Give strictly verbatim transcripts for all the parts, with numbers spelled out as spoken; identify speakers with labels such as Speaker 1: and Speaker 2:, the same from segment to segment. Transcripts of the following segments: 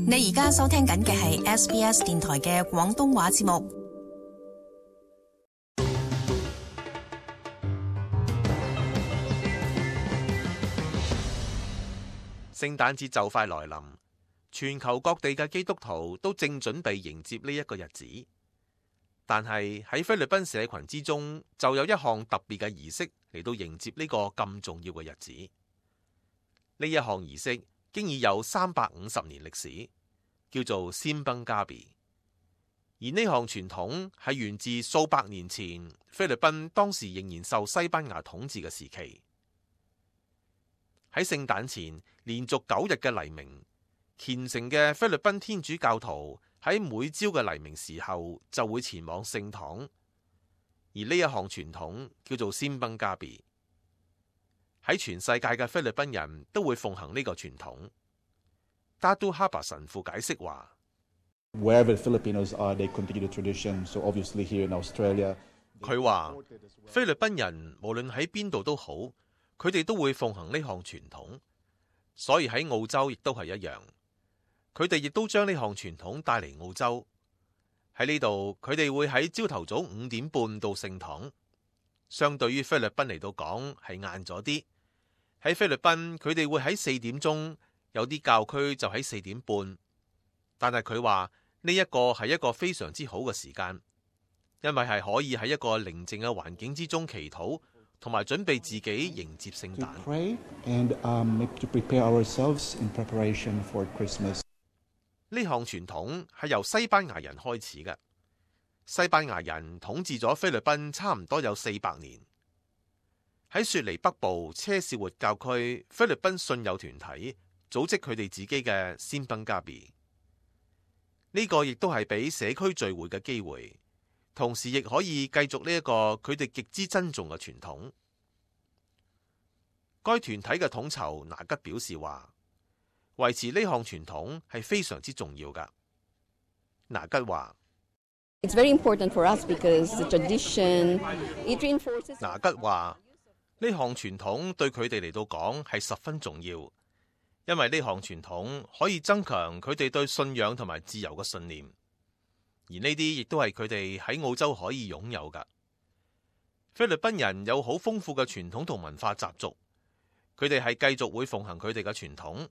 Speaker 1: 你而家收聽緊嘅係 S B S 電台嘅廣東話節目。
Speaker 2: 聖誕節就快來臨，全球各地嘅基督徒都正準備迎接呢一個日子。但係喺菲律賓社群之中，就有一項特別嘅儀式嚟到迎接呢個咁重要嘅日子。呢一項儀式經已有三百五十年歷史，叫做 Simbang Gabi。而呢項傳統係源自數百年前菲律賓當時仍然受西班牙統治嘅時期。喺聖誕前連續九日嘅黎明，虔誠嘅菲律賓天主教徒喺每朝嘅黎明時候就會前往聖堂，而呢一項傳統叫做 Simbang Gabi。喺全世界嘅菲律賓人都會奉行呢個傳統。Datu Haba 神父解釋話
Speaker 3: ：Wherever Filipinos are, they continue the tradition. So obviously here in Australia，
Speaker 2: 佢話菲律賓人無論喺邊度都好，佢哋都會奉行呢項傳統。所以喺澳洲亦都係一樣，佢哋亦都將呢項傳統帶嚟澳洲。喺呢度，佢哋會喺朝頭早五點半到聖堂，相對於菲律賓嚟到講係晏咗啲。喺菲律賓，佢哋會喺四點鐘，有啲教區就喺四點半。但係佢話呢一個係一個非常之好嘅時間，因為係可以喺一個寧靜嘅環境之中祈禱，同埋準備自己迎接聖誕。呢項傳統係由西班牙人開始嘅。西班牙人統治咗菲律賓差唔多有四百年。喺雪梨北部車士活教區，菲律賓信友團體組織佢哋自己嘅 Simbang Gabi。呢個亦都係俾社區聚會嘅機會，同時亦可以繼續呢一個佢哋極之珍重嘅傳統。該團體嘅統籌拿吉表示話，維持呢項傳統係非常之重要㗎。拿吉話
Speaker 4: ：It's very important for us because the tradition it reinforces。
Speaker 2: 拿吉話呢項傳統對佢哋嚟到講係十分重要，因為呢項傳統可以增強佢哋對信仰同埋自由嘅信念，而呢啲亦都係佢哋喺澳洲可以擁有㗎。菲律賓人有好豐富嘅傳統同文化習俗，佢哋係繼續會奉行佢哋嘅傳統，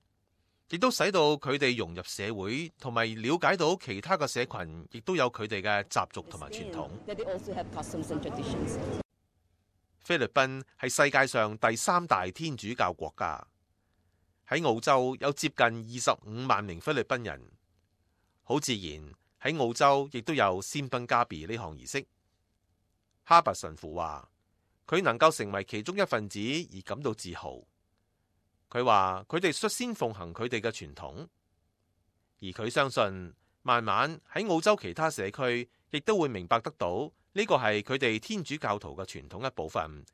Speaker 2: 亦都使到佢哋融入社會，同埋了解到其他嘅社群亦都有佢哋嘅習俗同埋傳統。菲律賓係世界上第三大天主教國家，喺澳洲有接近二十五萬名菲律賓人，好自然喺澳洲亦都有 Simbang Gabi 呢項儀式。哈伯神父話佢能夠成為其中一份子而感到自豪。佢話佢哋率先奉行佢哋嘅傳統，而佢相信慢慢喺澳洲其他社區亦都會明白得到呢個係佢哋天主教徒嘅傳統一部分，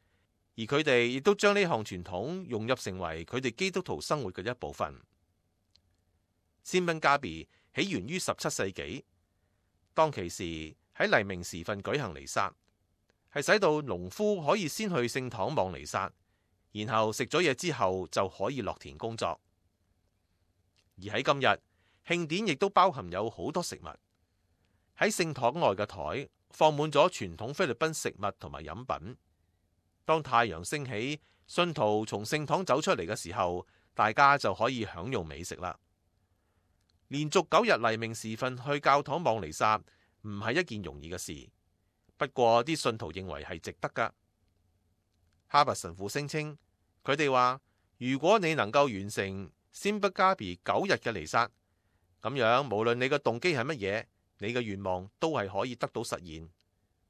Speaker 2: 而佢哋亦都將呢項傳統融入成為佢哋基督徒生活嘅一部分。Simbang Gabi起源於十七世紀，當其時喺黎明時分舉行彌撒，係使到農夫可以先去聖堂望彌撒，然後食咗嘢之後就可以落田工作。而喺今日，慶典亦都包含有好多食物。喺聖堂外嘅台放滿咗傳統菲律賓食物同埋飲品。當太陽升起，信徒從聖堂走出嚟嘅時候，大家就可以享用美食啦。連續九日黎明時分去教堂望彌撒唔係一件容易嘅事，不過啲信徒認為係值得㗎。哈伯神父聲稱，佢哋話如果你能夠完成 Simbang Gabi 九日嘅彌撒，咁樣無論你嘅動機係乜嘢，你嘅願望都係可以得到實現。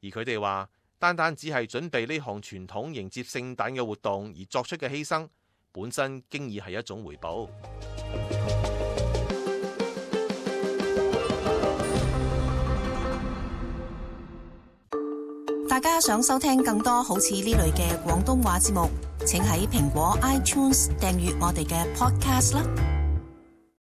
Speaker 2: 而佢哋話，單單只係準備呢項傳統迎接聖誕嘅活動而作出嘅犧牲，本身經已係一種回報。
Speaker 1: 大家想收聽更多好似呢類嘅廣東話節目，請喺蘋果 iTunes 訂閱我哋嘅 podcast 啦。